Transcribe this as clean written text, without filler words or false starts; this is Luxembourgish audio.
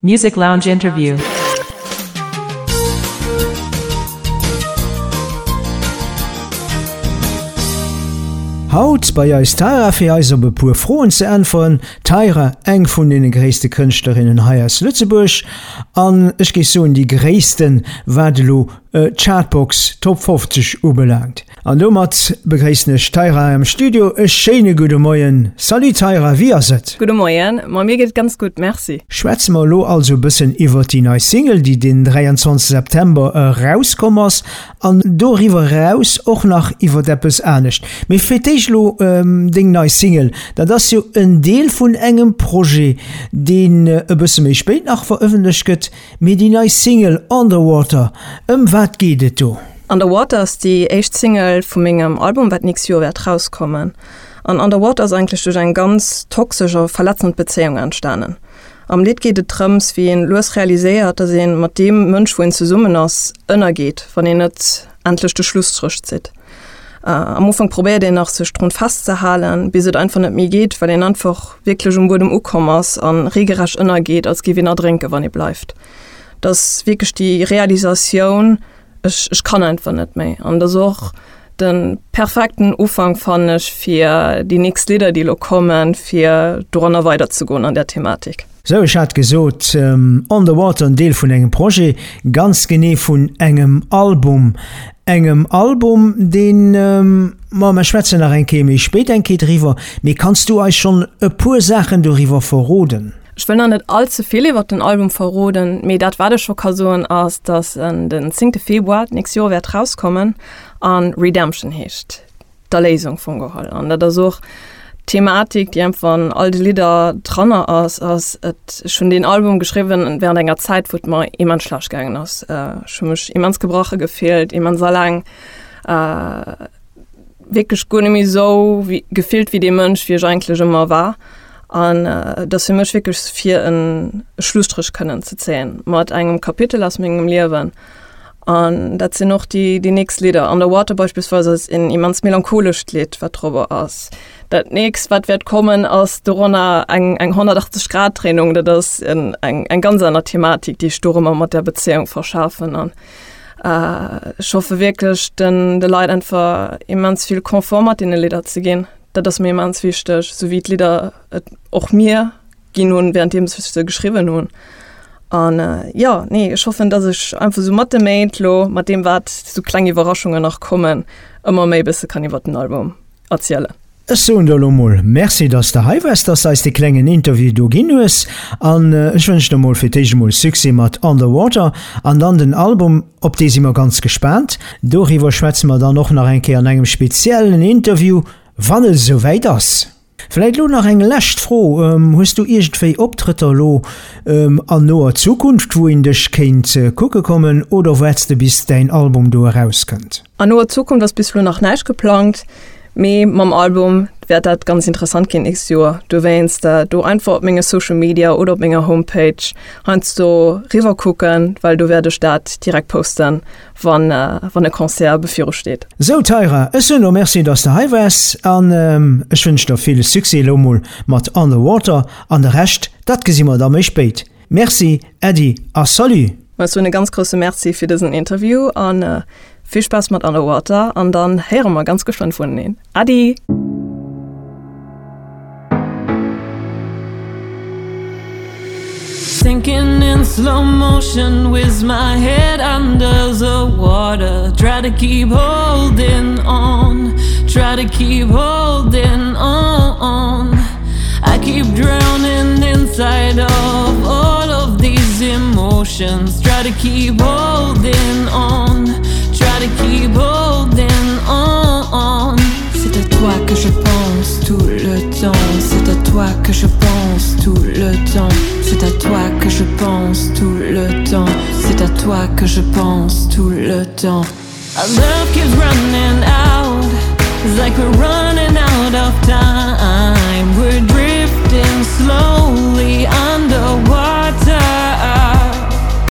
Music Lounge Interview. Haut bei eis d'Tayra fir eis op e puer Froen ze äntweren. D'Tayra, eng vun deene gréisste Kënschtlerinnen hei aus Lëtzebuerg an ech géif soen déi gréissten, wat elo d'Chartbox Top 50 ubelaangt. An domat begréissen ech d'Tayra am Studio. E schéine gudde Moien. Salut Tayra, wéi ass et? Gudde Moien, ma mir geet et ganz gutt, merci. Schwätze mer elo also e bëssen iwwert déi nei Single, déi den 23 September erauskomm ass, an doriwwer eraus och nach iwwert eppes anescht. Mee fir d'éischt elo deng nei Single, dat ass jo en Deel vun engem Projet, deen e bësse méi spéit nach verëffentlecht gëtt. Mee déi nei Single Underwater, ëm wat geet et do? Underwater ass déi éischt Single vu mengem Album, wat d'nächst Joer wäert rauskommen. An Underwater ass eigentlech duerch eng ganz toxesch a verletzend Bezéiung entstanen. Am Lidd geet et drëms, wéi een lues realiséiert, dass een mat deem Mënsch, wou een zesummen ass, ënnergeet, wann een net endlech de Schlusstréch zitt. Am Ufank probéiert een nach, sech drun festzehalen, bis et einfach net méi geet, well een einfach wierklech um Buedem ukomm ass a regelrecht ënnergeet, als géif een erdrénken, wann ee bleift. Et ass wierklech déi Realisatioun, Ech, ech kann einfach net méi. An dat ass och de perfekten Ufank, fannen ech, fir déi nächst Lidder, déi elo kommen, fir doranner weiderzegoen an där Thematik. Sou, ech hat gesot, On the Water, en Deel vun engem Projet, ganz genee vun engem Album. Engem Album, deen, ma mer schwätzen nach eng Kéier méi spéit eng Kéier driwwer, mee kanns du eis schonn e puer Saachen doriwwer verroden? Ech wëll nach net all ze vill iwwert den Album verroden, mee dat wat ech scho ka soen ass, dass en den zéngte Februar d'nächst Joer wäert rauskommen a Redemption heescht, d'Erléisung vum geholl. An dat ass och d'Thematik, déi einfach an all de Lidder dranner ass, ass et, ech hunn deen Album geschriwwen während enger Zäit, wou et mer immens schlecht gaangen ass. Ech hu mech immens gebrache gefillt, immens alleng. Wierklech guer net méi esou wéi gefillt wéi dee Mënsch, wéi ech eigentlech ëmmer war. An et ass fir mech wierklech fir en Schlusstréch kënnen ze zéien mat engem Kapitel aus mengem Liewen. An dat sinn och déi déi nächst Lidder. Underwater beispillsweis ass en immens melancholescht Lidd, wat dorobber ass. Dat nächst, wat wäert kommen, ass doranner eng eng 180 Grad Dréinung. Dat ass en eng eng ganz aner Thematik, déi ech dorëmmer mat där Bezéiung verschafen. An Ech hoffe wierklech den de Leit einfach immens vill Confort mat deene Lidder ze ginn. Dat ass mir immens wichteg, sou wéi d'Lidder et och mir ginn hunn, wärenddeems ech se geschriwwen hunn. An jo, nee, ech hoffen, datt ech einfach sou mat de Méint lo, mat deem wat sou kleng Iwwerraschungen nach kommen, ëmmer méi e bësse kann iwwert den Album erzielen. Ech soen der elo mol Merci, dass de hei waars, dass de eis dee klengen Interview do ginn hues an ech wënschen der mol fir d'éischt emol Succès mat Underwater an dann den Album, op dee si mer ganz gespaant. Doriwwer schwätze mer dann och nach eng Kéier an engem speziellen Interview, wann et esou wäit ass. Vläit elo nach eng lescht Fro, Hues du iergendwéi Optrëtter elo an noer Zukunft, wou een dech kéint kucke kommen oder waarts de bis däin Album do erauskënnt? An noer Zukunft ass bis elo nach näischt geplangt. Mee mam Album wäert dat ganz interessant ginn nächst Joer. Dowéinst do einfach op menge Social Media oder op menger Homepage heiansdo riwwer kucken, well do wäert ech dat direkt posten, wann wann e Concert beviru steet. Sou Tyra, ech soen der Merci dass de hei waars an ech wënsch der vill Succès elo mol mat Underwater an de Rescht dat gesi mer da méi spéit. Merci Äddi a Salut! Ech soen e ganz grousse Merci fir dësen Interview an vill Spaass mat Underwater an dann héiere mer ganz geschwënn vuneneen. Äddi! Sinking in slow motion with my head under the water Try to keep holding on, try to keep holding on I keep drowning inside of all of these emotions Try to keep holding on, try to keep holding on C'est à toi que je pense tout le temps C'est à toi que je pense tout le temps C'est à toi que je pense tout le temps C'est à toi que je pense tout le temps Our love keeps running out It's like we're running out of time We're drifting slowly under.